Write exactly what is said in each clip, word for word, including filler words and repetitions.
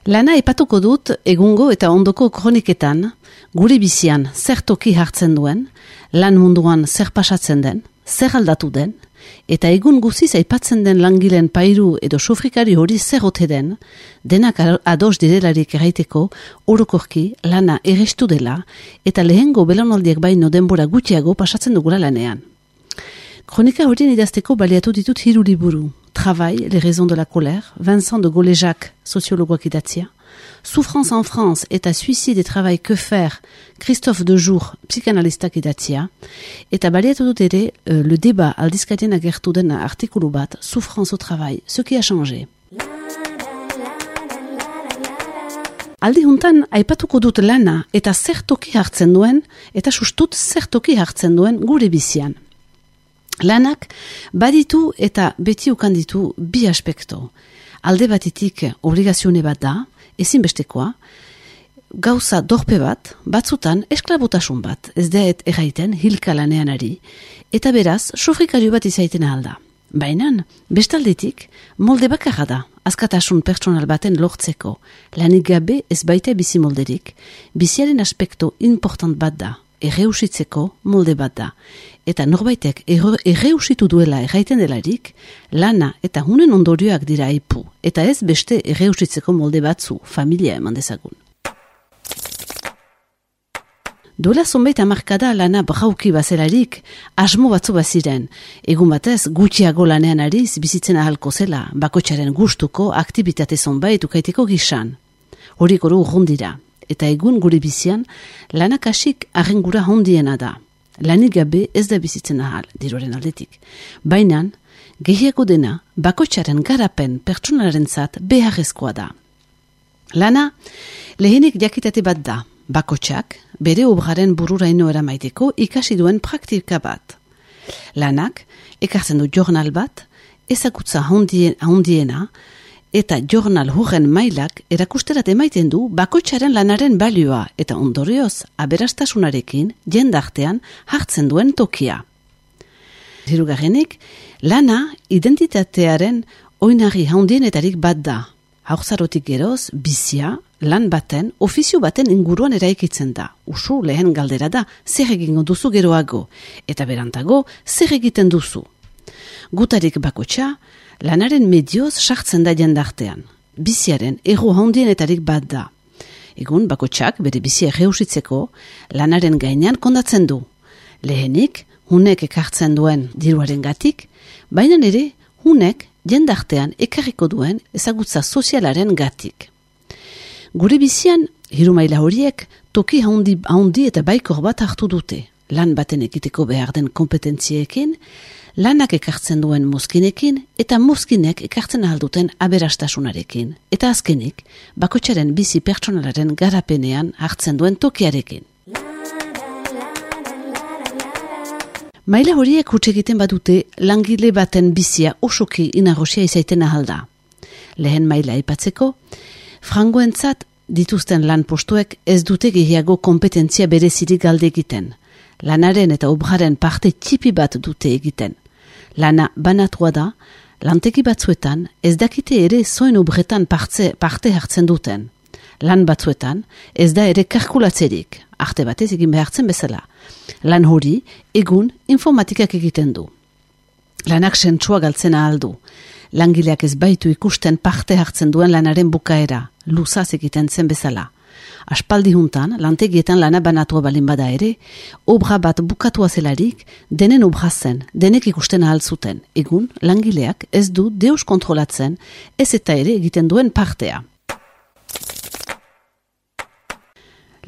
Lana epatuko dut egungo eta ondoko kroniketan, gure bizian zer toki hartzen duen, lan munduan zer pasatzen den, zer aldatu den, eta egun guziz aipatzen den langileen pairu edo sofrikari hori zer ote den, denak ados direlarik erraiteko, orokorki lana errestu dela, eta lehengo belaunaldiak baino denbora gutxiago pasatzen dugula lanean. Kronika horien idazteko baliatu ditut hiru liburu. Travail, les raisons de la colère, Vincent de Goléjac, sociologoak idatzia. Souffrance en France eta suicide et travail que faire, Christophe Dejour, psikanalistak idatzia. Eta baliatu dut ere, uh, le débat aldizkatien agertu den artikulu bat, Souffrance au travail, ce qui a changé. Aldi juntan, aipatuko dut lana eta zer toki hartzen duen, eta sustut zer toki hartzen duen gure bizian. Lanak baditu eta beti ukan ditu bi aspekto. Alde batetik obligazione bat da, ezinbestekoa, gauza dorpe bat, batzutan esklabotasun bat, ez da et erraiten hilka lanean ari, eta beraz sofrikario bat izaiten alda. Bainan, bestaldetik, molde bakarra da, askatasun pertsonal baten lortzeko, lanik gabe ez baita bizi molderik, biziaren aspekto important bat da, erreusitzeko molde bat da. Eta norbaitek erreusitu duela erraiten delarik, lana eta hunen ondorioak dira aipu, eta ez beste erreusitzeko molde batzu, familia eman dezagun. Duela zonbait hamarkada lana brauki bazelarik, asmo batzu baziren, egun batez gutxiago lanean ariz bizitzen ahalko zela, bakoitzaren gustuko aktibitate zonbait ukaiteko gisan. Horik oro urrundira. Eta egun gure bizian, lanak asik arrengura hondiena da. Lanik gabe ez da bizitzen ahal, diroren aldetik. Bainan, gehiago dena, bakoitzaren garapen pertsonaren zat beharrezkoa da. Lana, lehenik jakitate bat da, bakoitzak, bere obraren bururaino eramaiteko ikasi duen praktika bat. Lanak, ekartzen du jornal bat, ezagutza hondiena, eta jornal hurren mailak erakusterat emaiten du bakoitzaren lanaren balioa eta ondorioz aberastasunarekin jendartean hartzen duen tokia. Hirugarrenik, lana identitatearen oinarri handienetarik bat da. Haurzarotik geroz, bizia, lan baten, ofizio baten inguruan eraikitzen da. Usu lehen galdera da, zer egingo duzu geroago, eta berantago, zer egiten duzu. Gutarik bakoitza, lanaren medioz sartzen da jendartean. Biziaren erro handienetarik bat da. Egun bakoitzak bere bizia erreusitzeko lanaren gainean kondatzen du. Lehenik, hunek ekartzen duen diruaren gatik, baina ere hunek jendartean ekarriko duen ezagutza sozialaren gatik. Gure bizian, hiru maila horiek toki handi, handi eta baikor bat hartu dute. Lan baten ekiteko behar den kompetentziekin, lanak ekartzen duen mozkinekin eta mozkinek ekartzen ahalduten aberastasunarekin. Eta azkenik, bakoitzaren bizi pertsonalaren garapenean hartzen duen tokiarekin. Maila horiek huts egiten badute langile baten bizia osoki inarrosia izaiten ahalda. Lehen maila aipatzeko, frangoentzat dituzten lan postuek ez dute gehiago kompetentzia berezirik galde egiten. Lanaren eta obraren parte txipi bat dute egiten. Lana banatua da, lanteki batzuetan ez dakite ere zoin obretan parte, parte hartzen duten. Lan batzuetan ez da ere kalkulatzerik, arte batez egin behartzen bezala. Lan hori egun informatikak egiten du. Lanak sentsua galtzen ahal du. Langileak ez baitu ikusten parte hartzen duen lanaren bukaera, luzaz egiten zen bezala. Aspaldi juntan, lantegietan lana banatua balin bada ere, obra bat bukatua zelarik, denen obra zen, denek ikusten ahal zuten. Egun, langileak ez du deus kontrolatzen, ez eta ere egiten duen partea.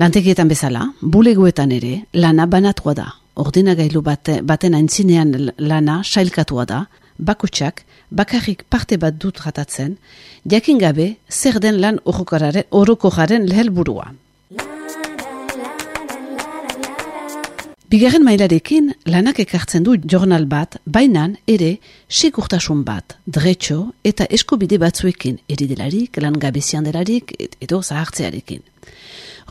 Lantegietan bezala, bulegoetan ere, lana banatua da. Ordenagailu bate, baten aintzinean lana sailkatua da, bakoitzak bakarrik parte bat dut ratatzen, jakin gabe zer den lan orokorraren helburua. Bigarren mailarekin lanak ekartzen du jornal bat, bainan ere segurtasun bat, dretxo eta eskubide batzuekin, eridelarik, langabezian delarik edo zahartzearekin.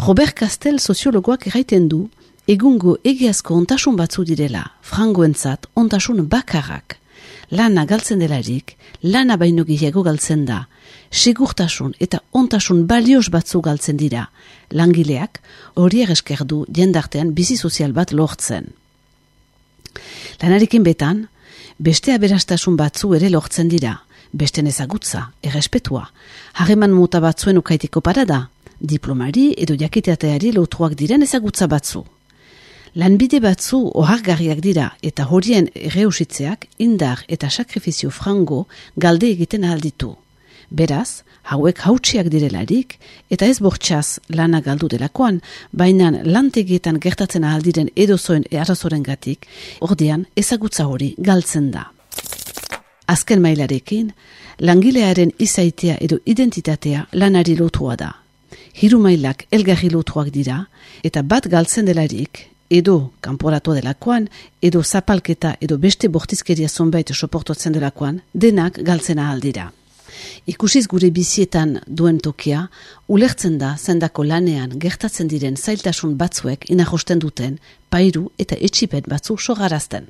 Robert Castel soziologoak erraiten du, egungo egiazko ontasun batzu direla, frangoentzat ontasun bakarrak. lana galtzen delarik, lana baino gehiago galtzen da. Segurtasun eta ontasun balioz batzu galtzen dira. Langileak horiek esker du jendartean bizi sozial bat lortzen. Lanarekin betan, beste aberastasun batzu ere lortzen dira. Beste ezagutza, errespetua. Harreman mota batzuen ukaiteko parada, diplomari edo jakiteateari lotuak diren ezagutza batzu. Lanbide batzu ohargarriak dira eta horien erreusitzeak indar eta sakrifizio frango galde egiten alditu. Beraz, hauek hautsiak direlarik eta ez bortxaz lana galdu delakoan, baina lantegietan gertatzen aldiren edozoen arazoren gatik, ordean ezagutza hori galtzen da. Azken mailarekin, langilearen izaitea edo identitatea lanari lotua da. Hiru mailak elgarri lotuak dira eta bat galtzen delarik, edo kanporatu delakoan, edo zapalketa edo beste bortizkeria zonbait soportotzen delakoan, denak galtzen ahal dira. Ikusiz gure bizietan duen tokia, ulertzen da zendako lanean gertatzen diren zailtasun batzuek inajosten duten, pairu eta etxipen batzu sogarazten.